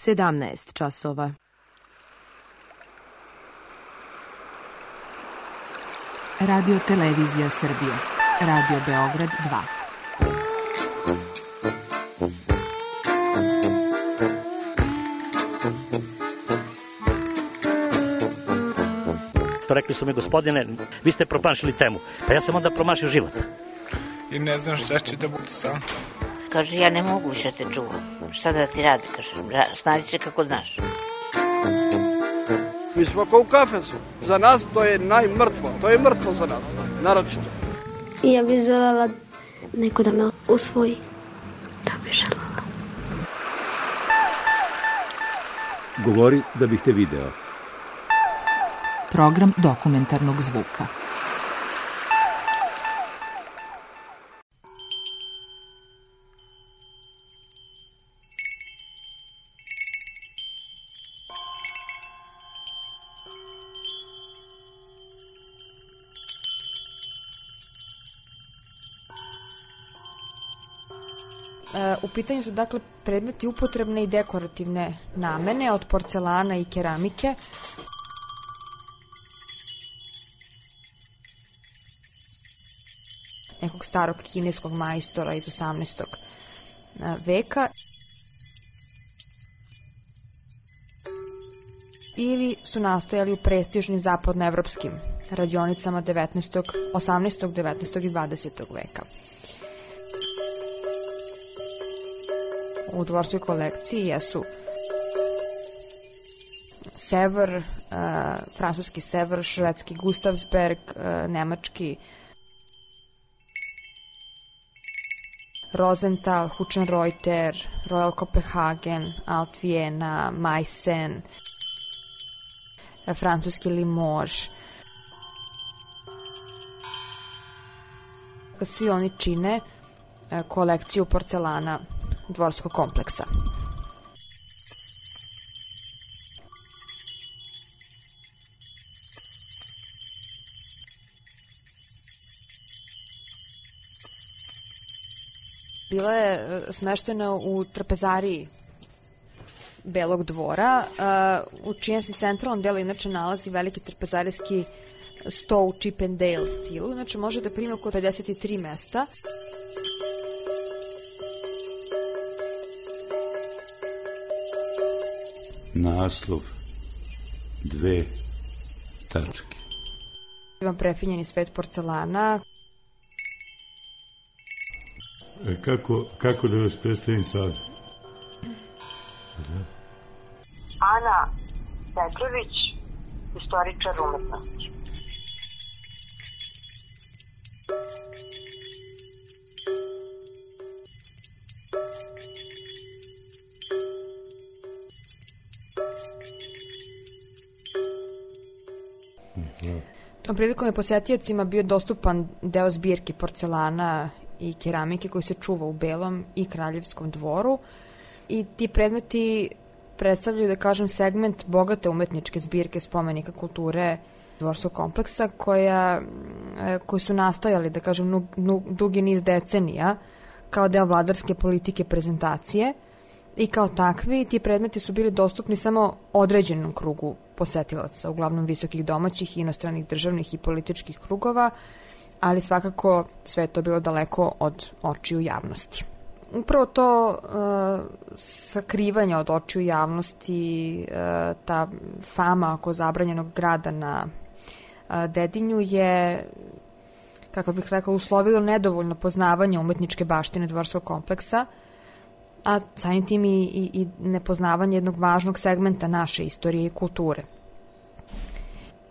17 časova. Radio Televizija Srbije. Radio Beograd 2. Rekli su mi, gospodine, vi ste promašili temu. Pa ja sam onda promašio život. I ne znam šta će da bude sam. Kaže, ja ne mogu više te čuvam. Šta da ti radi, kaže, snađi se kako znaš. Mi smo kao u kafesu. Za nas to je najmrtvo. To je mrtvo za nas, naročito. I ja bih želela neko da me usvoji. To bih želela. Govori da bih te video. Program dokumentarnog zvuka. U pitanju su dakle predmeti upotrebne i dekorativne namene od porcelana i keramike. Nekog starog kineskog majstora iz 18. veka. Ili su nastajali u prestižnim zapadnoevropskim radionicama 18., 19. i 20. veka. U dvorskoj kolekciji jesu Sevr, francuski Sevr, švedski Gustavsberg, nemački Rosenthal, Huchenreuter, Royal Copenhagen, Alt Vienna, Meissen, francuski Limoges. Svi oni čine kolekciju porcelana dvorskog kompleksa. Bila je smeštena u trpezariji Belog dvora, u čijem se centralnom delu inače nalazi veliki trpezarijski sto u Chip and Dale stilu, znači može da primi oko 53 mesta. Naslov 2 tačke. Imam prefinjeni svet porcelana. Kako da vas predstavim sad? Ana Petrović, istoričar umetnosti. Tom prilikom je posetiocima bio dostupan deo zbirki porcelana i keramike koji se čuva u Belom i Kraljevskom dvoru i ti predmeti predstavljaju, da kažem, segment bogate umetničke zbirke spomenika kulture dvorskog kompleksa koji su nastajali, da kažem, dugi niz decenija kao deo vladarske politike prezentacije i kao takvi ti predmeti su bili dostupni samo određenom krugu posetilaca, uglavnom visokih domaćih i inostranih državnih i političkih krugova, ali svakako sve je to bilo daleko od očiju javnosti. Upravo to sakrivanje od očiju javnosti, ta fama oko zabranjenog grada na Dedinju je, kako bih rekla, uslovilo nedovoljno poznavanje umetničke baštine dvorskog kompleksa, a samim tim i nepoznavanje jednog važnog segmenta naše istorije i kulture.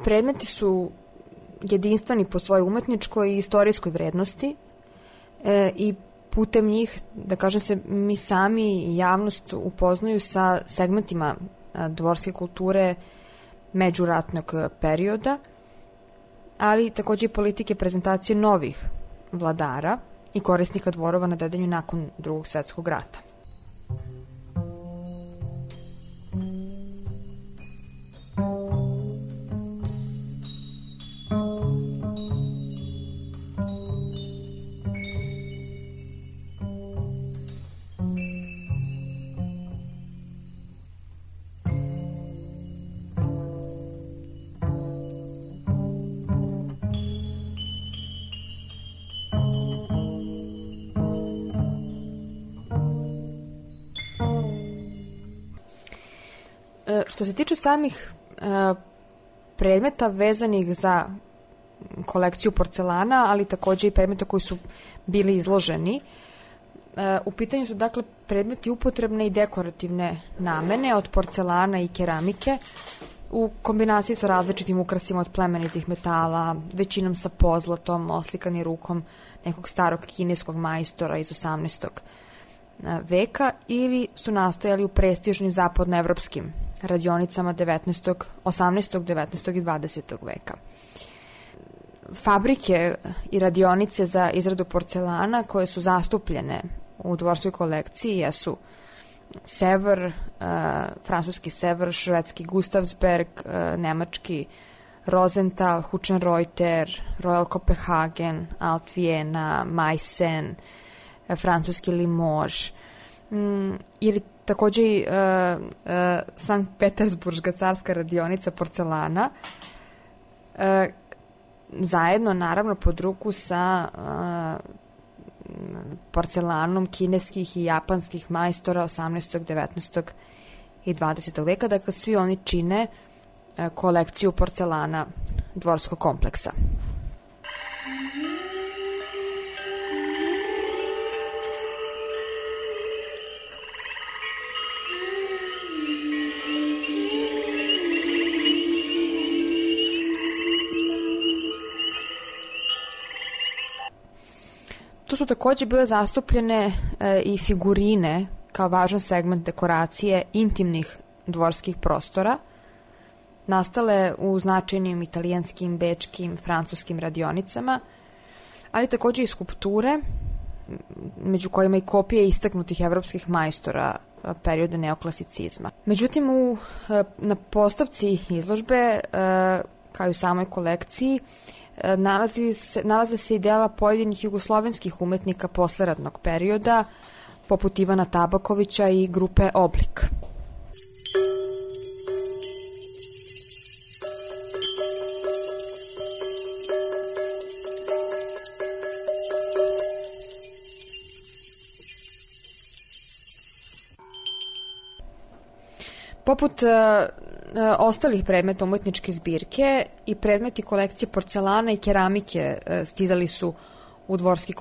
Predmeti su jedinstveni po svojoj umetničkoj i istorijskoj vrednosti i putem njih, da kažem se, mi sami i javnost upoznaju sa segmentima dvorske kulture međuratnog perioda, ali takođe i politike prezentacije novih vladara i korisnika dvorova na Dedinju nakon Drugog svetskog rata. Što se tiče samih predmeta vezanih za kolekciju porcelana, ali takođe i predmeta koji su bili izloženi, u pitanju su dakle predmeti upotrebne i dekorativne namene od porcelana i keramike u kombinaciji sa različitim ukrasima od plemenitih metala, većinom sa pozlatom, oslikani rukom nekog starog kineskog majstora iz 18. veka, ili su nastajali u prestižnim zapadnoevropskim radionicama 18., 19. i 20. veka. Fabrike i radionice za izradu porcelana koje su zastupljene u dvorskoj kolekciji jesu Sevr, francuski Sevr, švedski Gustavsberg, nemački Rosenthal, Huchenreuter, Royal Copenhagen, Alt Viena, Meissen, francuski Limoges, ili takođe i Sankt Petersburška carska radionica porcelana, zajedno naravno pod ruku sa porcelanom kineskih i japanskih majstora 18., 19. i 20. veka. Dakle, svi oni čine kolekciju porcelana dvorskog kompleksa. Tu su takođe bile zastupljene i figurine kao važan segment dekoracije intimnih dvorskih prostora, nastale u značajnim italijanskim, bečkim, francuskim radionicama, ali takođe i skulpture, među kojima i kopije istaknutih evropskih majstora perioda neoklasicizma. Međutim, na postavci izložbe, kao i u samoj kolekciji, nalaze se i dela pojedinih jugoslovenskih umetnika posleratnog perioda, poput Ivana Tabakovića i grupe Oblik. Poput ostalih predmeta umetničke zbirke i predmeti kolekcije porcelana i keramike stizali su u dvorski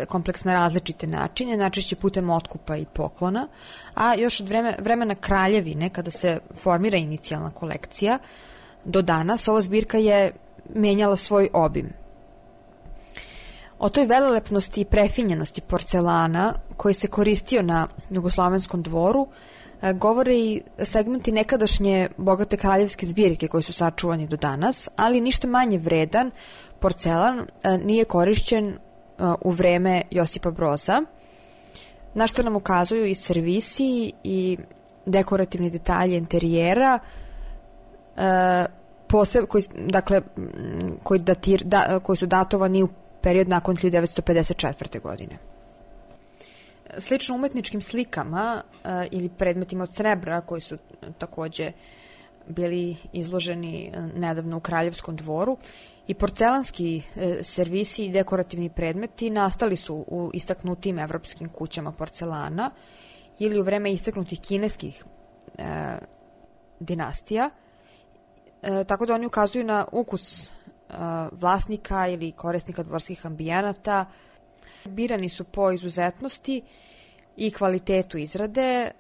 kompleks na različite načine, najčešće putem otkupa i poklona, a još od vremena Kraljevine, kada se formira inicijalna kolekcija, do danas ova zbirka je menjala svoj obim. O toj velelepnosti i prefinjenosti porcelana koji se koristio na jugoslovenskom dvoru govore i segmenti nekadašnje bogate kraljevske zbirke koji su sačuvani do danas, ali ništa manje vredan porcelan nije korišćen u vreme Josipa Broza, na što nam ukazuju i servisi i dekorativni detalji interijera, koji su datovani u period nakon 1954. godine. Slično umetničkim slikama ili predmetima od srebra koji su takođe bili izloženi nedavno u Kraljevskom dvoru, i porcelanski servisi i dekorativni predmeti nastali su u istaknutim evropskim kućama porcelana ili u vreme istaknutih kineskih dinastija, tako da oni ukazuju na ukus vlasnika ili korisnika dvorskih ambijenata. Birani su po izuzetnosti i kvalitetu izrade,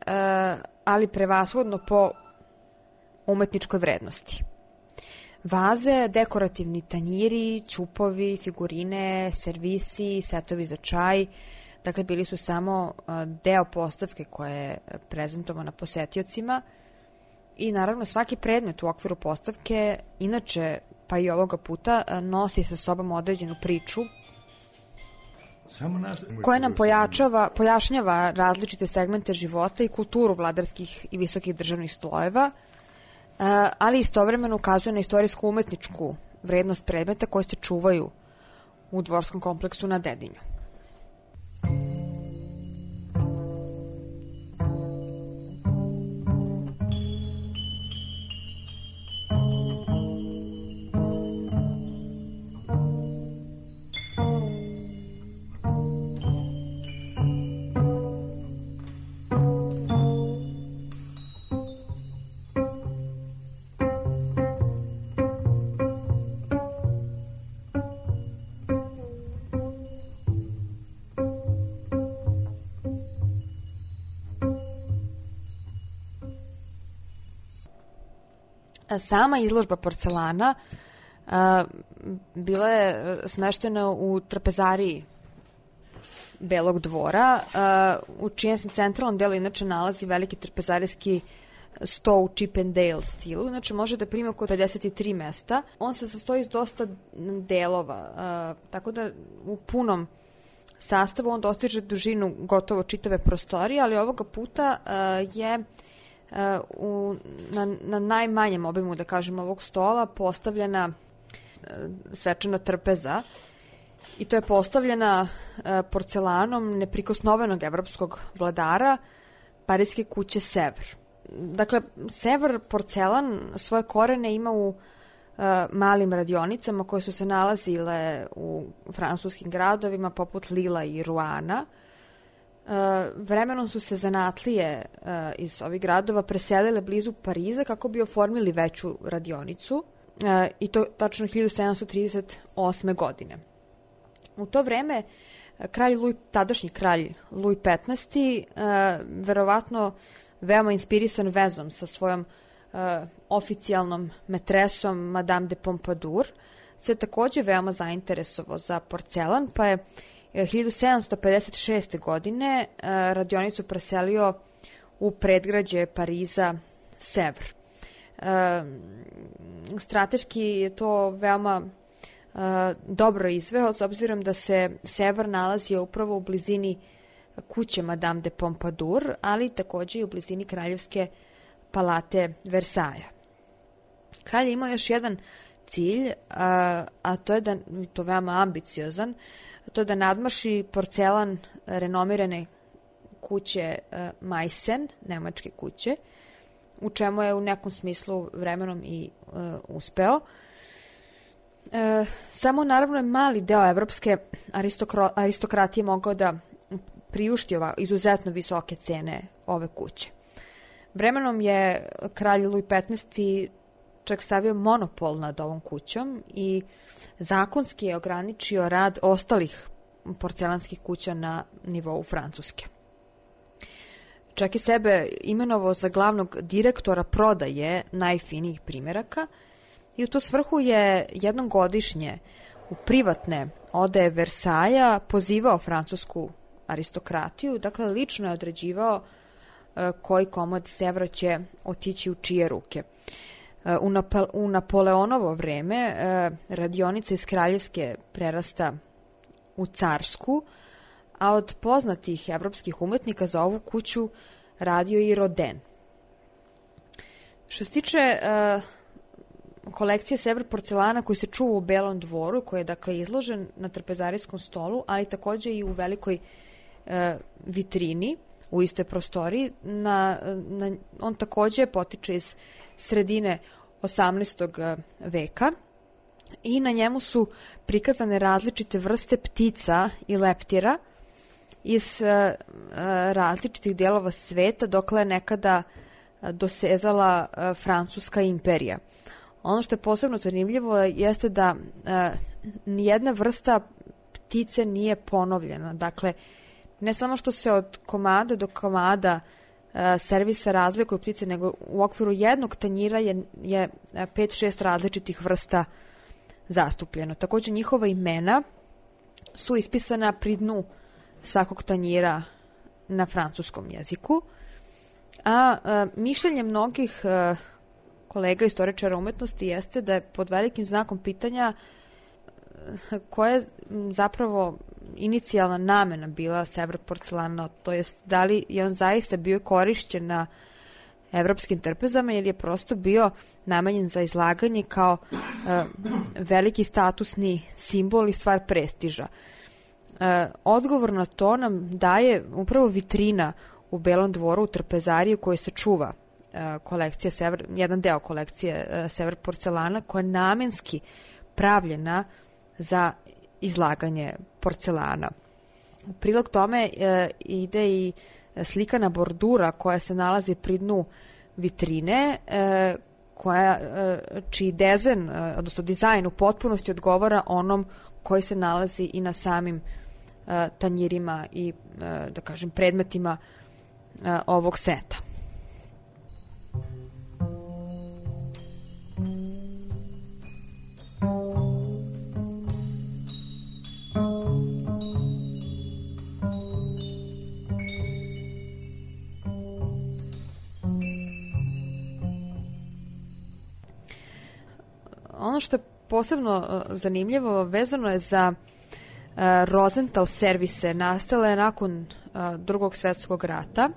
ali prevashodno po umetničkoj vrednosti. Vaze, dekorativni tanjiri, ćupovi, figurine, servisi, setovi za čaj, dakle bili su samo deo postavke koja je prezentovana posetiocima, i naravno svaki predmet u okviru postavke, inače pa i ovoga puta, nosi sa sobom određenu priču koja nam pojašnjava različite segmente života i kulturu vladarskih i visokih državnih slojeva, ali istovremeno ukazuje na istorijsku umetničku vrednost predmeta koji se čuvaju u dvorskom kompleksu na Dedinju. Sama izložba porcelana bila je smeštena u trpezariji Belog dvora, u čijem se centralnom delu inače nalazi veliki trpezarijski sto u Chip and Dale stilu, znači može da primi oko 53 mesta. On se sastoji iz dosta delova, tako da u punom sastavu on dostiže dužinu gotovo čitave prostorije, ali ovoga puta je na najmanjem obimu, da kažem, ovog stola postavljena svečana trpeza, i to je postavljena porcelanom neprikosnovenog evropskog vladara Pariske kuće Sevr. Dakle, Sevr porcelan svoje korene ima u malim radionicama koje su se nalazile u francuskim gradovima poput Lila i Ruana. Vremenom su se zanatlije iz ovih gradova preselile blizu Pariza kako bi oformili veću radionicu, i to tačno 1738. godine. U to vreme tadašnji kralj Louis XV, verovatno veoma inspirisan vezom sa svojom oficijalnom metresom Madame de Pompadour, se takođe veoma zainteresovao za porcelan, pa je 1756. godine radionicu preselio u predgrađe Pariza Sevr. Strateški je to veoma dobro izveo, s obzirom da se Sevr nalazio upravo u blizini kuće Madame de Pompadour, ali takođe i u blizini kraljevske palate Versailles. Kralj je imao još jedan cilj, a to je to veoma ambiciozan, to je da nadmaši porcelan renomirane kuće Meissen, nemačke kuće, u čemu je u nekom smislu vremenom i uspeo. Samo naravno je mali deo evropske aristokratije mogao da priušti izuzetno visoke cene ove kuće. Vremenom je kralj Louis XV čak stavio monopol nad ovom kućom i zakonski je ograničio rad ostalih porcelanskih kuća na nivou Francuske. Čak i sebe imenovao za glavnog direktora prodaje najfinijih primeraka i u tu svrhu je jednom godišnje u privatne odaje Versailles pozivao francusku aristokratiju, dakle lično je određivao koji komad Sevra će otići u čije ruke. U Napoleonovo vreme radionica iz kraljevske prerasta u carsku, a od poznatih evropskih umetnika za ovu kuću radio i Rodin. Što se tiče kolekcije Sevr porcelana koji se čuva u Belom dvoru, koji je dakle izložen na trpezarijskom stolu, ali takođe i u velikoj vitrini u istoj prostoriji, on takođe potiče iz sredine 18. veka i na njemu su prikazane različite vrste ptica i leptira iz različitih delova sveta, dokle je nekada dosezala Francuska imperija. Ono što je posebno zanimljivo jeste da nijedna vrsta ptice nije ponovljena. Dakle, ne samo što se od komada do komada servisa razlikuju ptice, nego u okviru jednog tanjira je 5-6 različitih vrsta zastupljeno. Takođe, njihova imena su ispisana pri dnu svakog tanjira na francuskom jeziku, a mišljenje mnogih kolega istoričara umetnosti jeste da je pod velikim znakom pitanja koja je zapravo inicijalna namena bila Sevr porcelana, to jest da li je on zaista bio korišćen na evropskim trpezama ili je prosto bio namenjen za izlaganje kao veliki statusni simbol i stvar prestiža. Odgovor na to nam daje upravo vitrina u Belom dvoru u trpezariji u kojoj se čuva kolekcija Sevr, jedan deo kolekcije Sevr porcelana koja je namenski pravljena za izlaganje porcelana. U prilog tome ide i slikana bordura koja se nalazi pri dnu vitrine, čiji odnosno dizajn u potpunosti odgovara onom koji se nalazi i na samim tanjirima i, da kažem, predmetima ovog seta. Ono što je posebno zanimljivo vezano je za Rosenthal servise, nastale nakon Drugog svjetskog rata.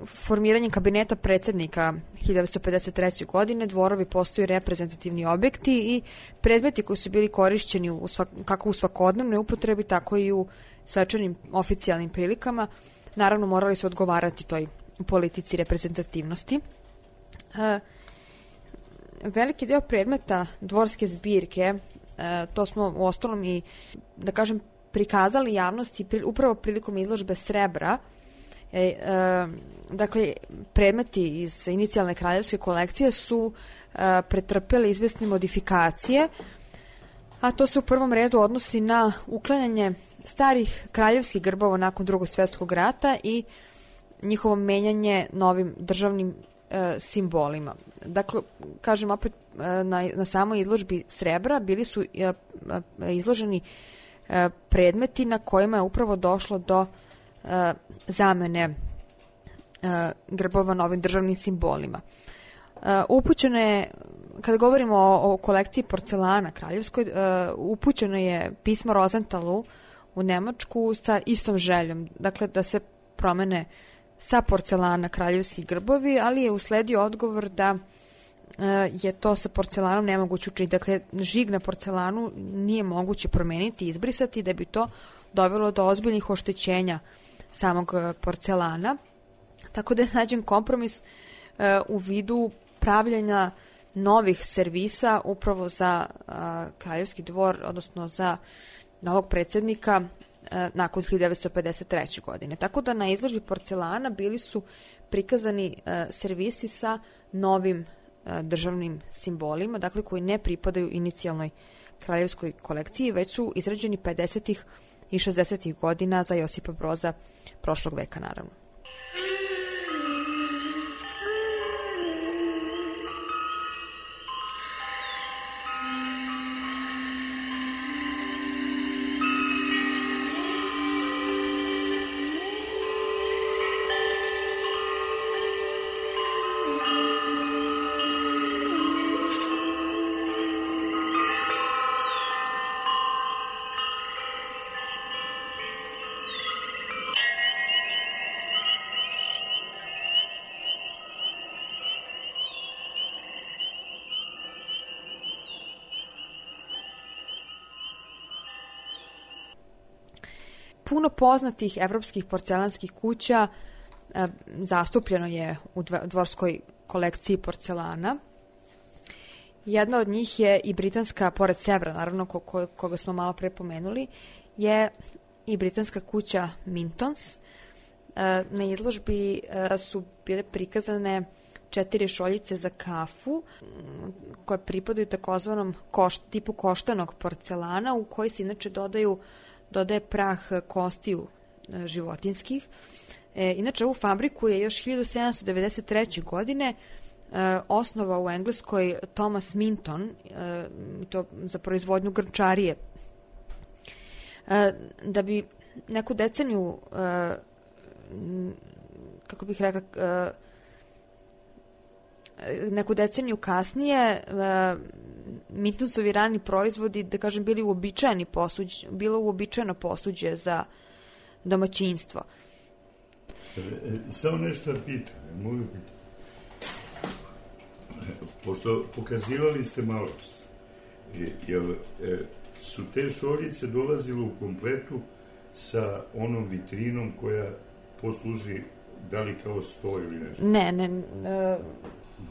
Formiranjem kabineta predsjednika 1953. godine dvorovi postaju reprezentativni objekti i predmeti koji su bili korišćeni kako u svakodnevnoj upotrebi, tako i u svečanim oficijalnim prilikama, naravno morali su odgovarati toj politici reprezentativnosti. Veliki deo predmeta dvorske zbirke, to smo u ostalom i, da kažem, prikazali javnosti upravo prilikom izložbe srebra. Dakle, predmeti iz inicijalne kraljevske kolekcije su pretrpeli izvesne modifikacije, a to se u prvom redu odnosi na uklanjanje starih kraljevskih grbova nakon Drugog svjetskog rata i njihovo menjanje novim državnim simbolima. Dakle, kažem opet, na samoj izložbi srebra bili su izloženi predmeti na kojima je upravo došlo do zamene grbova novim državnim simbolima. Upućeno je, kada govorimo o kolekciji porcelana kraljevskoj, upućeno je pismo Rosenthalu u Nemačku sa istom željom, dakle da se promene sa porcelana kraljevski grbovi, ali je usledio odgovor da je to sa porcelanom nemoguće učiniti. Dakle, žig na porcelanu nije moguće promeniti i izbrisati, da bi to dovelo do ozbiljnih oštećenja samog porcelana. Tako da je nađen kompromis u vidu pravljenja novih servisa upravo za kraljevski dvor, odnosno za novog predsjednika nakon 1953. godine. Tako da na izložbi porcelana bili su prikazani servisi sa novim državnim simbolima, dakle koji ne pripadaju inicijalnoj kraljevskoj kolekciji, već su izrađeni 50. i 60. godina za Josipa Broza prošlog veka, naravno. Puno poznatih evropskih porcelanskih kuća zastupljeno je u dvorskoj kolekciji porcelana. Jedna od njih je i britanska, pored Sevra, naravno, koga smo malo pre pomenuli, je i britanska kuća Mintons. Na izložbi su bile prikazane 4 šoljice za kafu koje pripadaju takozvanom tipu koštanog porcelana, u koji se inače dodaje prah kostiju životinskih. Inače, ovu fabriku je još 1793. godine osnovao u Engleskoj Thomas Minton, to za proizvodnju grnčarije. Da bi neku deceniju, kako bih rekla, neku deceniju kasnije Mintonsovi rani proizvodi, da kažem, bilo uobičajeno posuđe za domaćinstvo. Samo nešto pitam, mogu pitati. Pošto pokazivali ste malo čas, su te šoljice dolazile u kompletu sa onom vitrinom koja posluži da li kao sto ili nešto? Ne.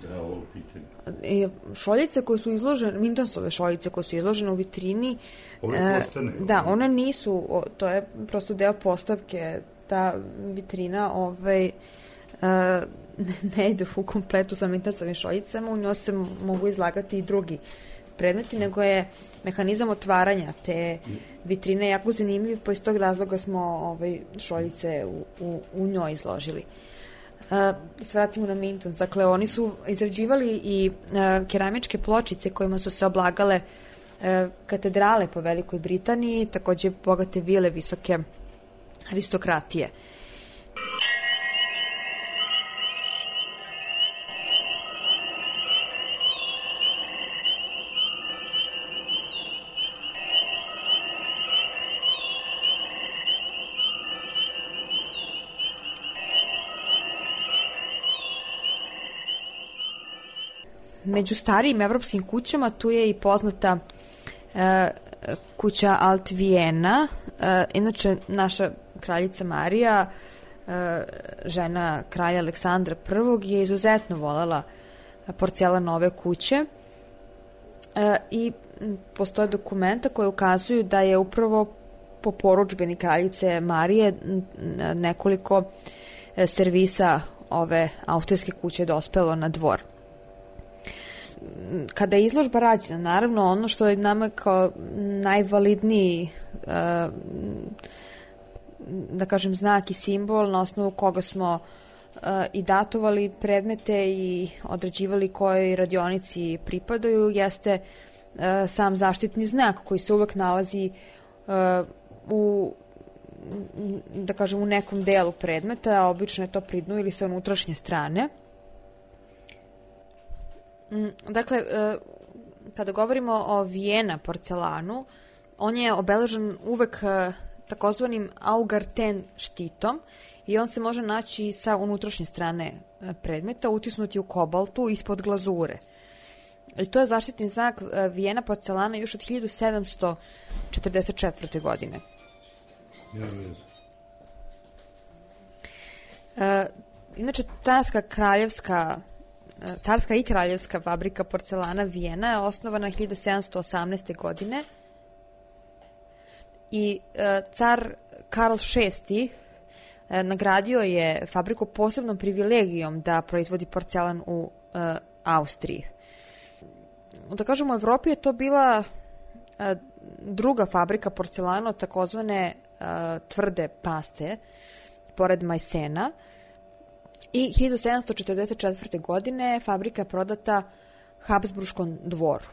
Da, ovo pitanje. Šoljice koje su izložene, Mintonsove šoljice koje su izložene u vitrini, ove koštane? Da, one nisu, to je prosto deo postavke, ta vitrina ne ide u kompletu sa Mintonsovim šoljicama, u njoj se mogu izlagati i drugi predmeti, nego je mehanizam otvaranja te vitrine jako zanimljiv, pa iz tog razloga smo šoljice u njoj izložili. Se vratimo na Mintons. Dakle, oni su izrađivali i keramičke pločice kojima su se oblagale katedrale po Velikoj Britaniji, takođe bogate vile visoke aristokratije. Među starijim evropskim kućama tu je i poznata kuća Alt Vijena. Inače, naša kraljica Marija, žena kralja Aleksandra I, je izuzetno volela porcelanove kuće i postoje dokumenta koje ukazuju da je upravo po porudžbini kraljice Marije nekoliko servisa ove austrijske kuće dospelo na dvor. Kada je izložba rađena, naravno ono što je nama kao najvalidniji da kažem znak i simbol na osnovu koga smo i datovali predmete i određivali kojoj radionici pripadaju jeste sam zaštitni znak koji se uvek nalazi u da kažem u nekom delu predmeta, a obično je to pri dnu ili sa unutrašnje strane. Dakle, kada govorimo o Vijena porcelanu, on je obeležen uvek takozvanim Augarten štitom i on se može naći sa unutrašnje strane predmeta, utisnuti u kobaltu ispod glazure. I to je zaštitni znak Vijena porcelana još od 1744. godine. Inače, carska i kraljevska fabrika porcelana Vijena je osnovana 1718. godine i car Karl VI nagradio je fabriku posebnom privilegijom da proizvodi porcelan u Austriji. Da kažemo, u Evropi je to bila druga fabrika porcelana od takozvane tvrde paste, pored Majsena, i 1744. godine fabrika je prodata Habsburškom dvoru.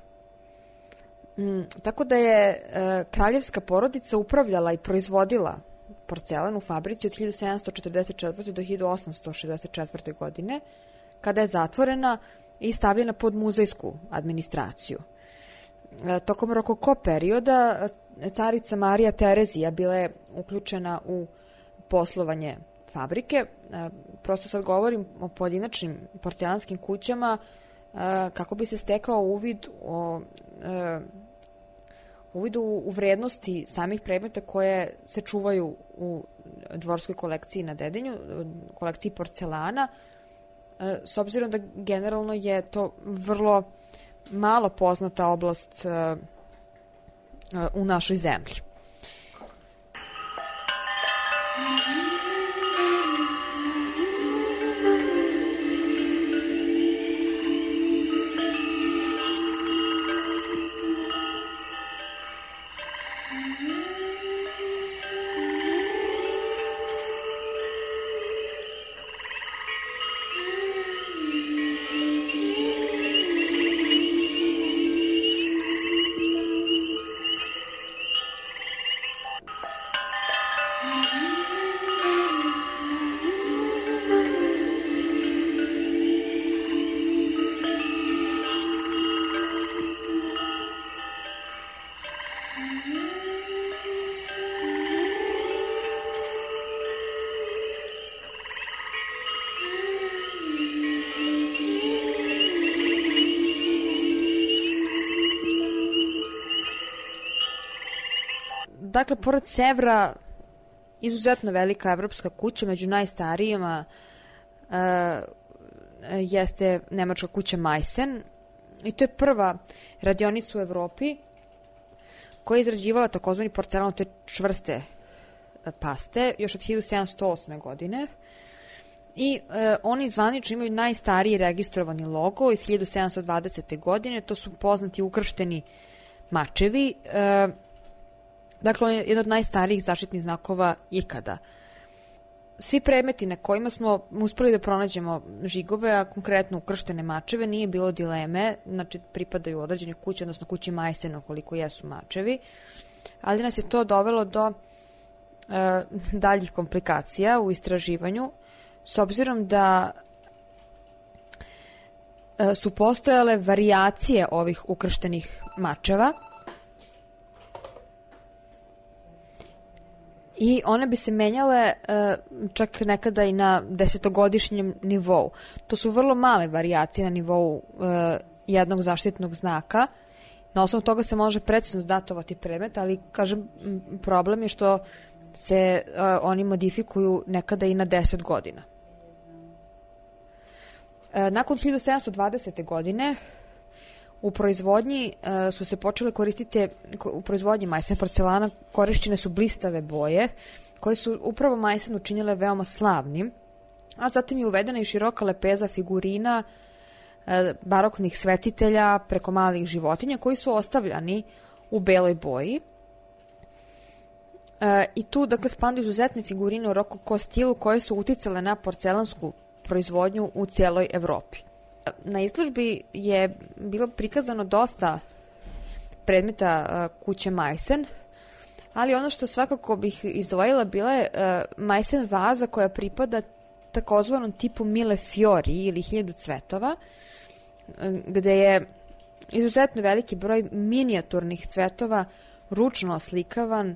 Tako da je kraljevska porodica upravljala i proizvodila porcelan u fabrici od 1744. do 1864. godine, kada je zatvorena i stavljena pod muzejsku administraciju. Tokom rokoko perioda carica Marija Terezija bila je uključena u poslovanje fabrike. Prosto sad govorim o pojedinačnim porcelanskim kućama kako bi se stekao uvid u vrednosti samih predmeta koje se čuvaju u dvorskoj kolekciji na Dedinju, kolekciji porcelana, s obzirom da generalno je to vrlo malo poznata oblast u našoj zemlji. Dakle, pored Sevra, izuzetno velika evropska kuća, među najstarijima jeste nemačka kuća Majsen, i to je prva radionica u Evropi koja je izrađivala takozvani porcelan od te čvrste paste još od 1708. godine. I oni zvanično imaju najstariji registrovani logo iz 1720. godine, to su poznati ukršteni mačevi. Dakle, on je jedan od najstarijih zaštitnih znakova ikada. Svi predmeti na kojima smo uspeli da pronađemo žigove, a konkretno ukrštene mačeve, nije bilo dileme, znači pripadaju određene kuće, odnosno kući Majsena, koliko jesu mačevi, ali nas je to dovelo do daljih komplikacija u istraživanju, s obzirom da su postojale varijacije ovih ukrštenih mačeva i one bi se menjale čak nekada i na 10-godišnjem nivou. To su vrlo male varijacije na nivou jednog zaštitnog znaka. Na osnovu toga se može precizno datovati predmet, ali, kažem, problem je što se oni modifikuju nekada i na 10 godina. Nakon 1720. godine u proizvodnji su se počele koristiti, u proizvodnji majsen porcelana korišćene su blistave boje, koje su upravo majsen učinile veoma slavnim, a zatim je uvedena i široka lepeza figurina, baroknih svetitelja preko malih životinja koji su ostavljani u beloj boji. I tu, dakle, spadaju izuzetne figurine u rokoko stilu koje su uticale na porcelansku proizvodnju u cijeloj Evropi. Na izložbi je bilo prikazano dosta predmeta kuće Majsen, ali ono što svakako bih izdvojila bila je Majsen vaza koja pripada takozvanom tipu Mille Fiori ili 1000 cvetova, gde je izuzetno veliki broj minijaturnih cvetova ručno oslikavan,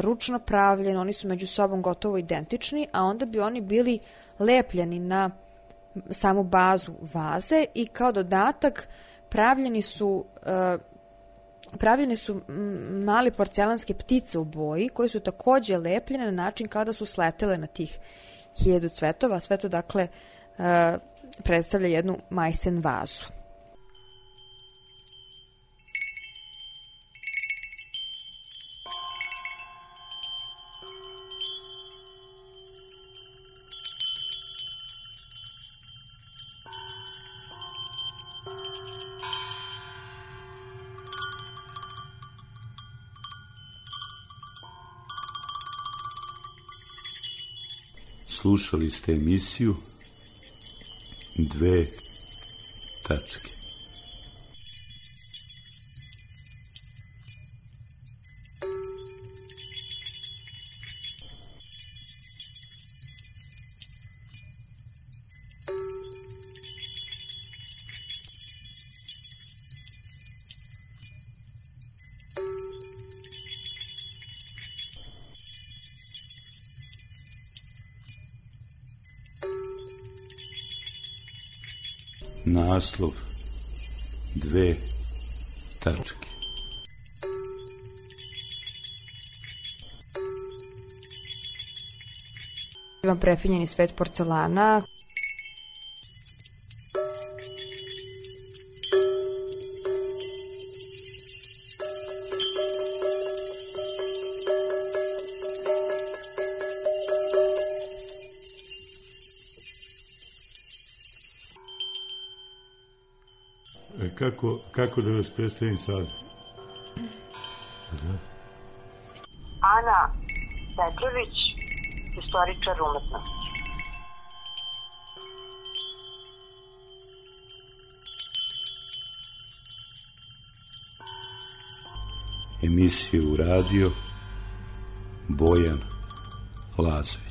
ručno pravljen, oni su među sobom gotovo identični, a onda bi oni bili lepljeni na samu bazu vaze i kao dodatak pravljene su mali porcelanske ptice u boji koje su takođe lepljene na način kada su sletele na tih 1000 cvetova. Sve to, dakle, predstavlja jednu majsen vazu. Slušali ste emisiju Dve tačke. Naslov Dve tačke. Vam prefinjeni svet porcelana. Kako da vas predstavim sad? Ana Petrović, istoričar umetnosti. Emisiju uradio Bojan Lazović.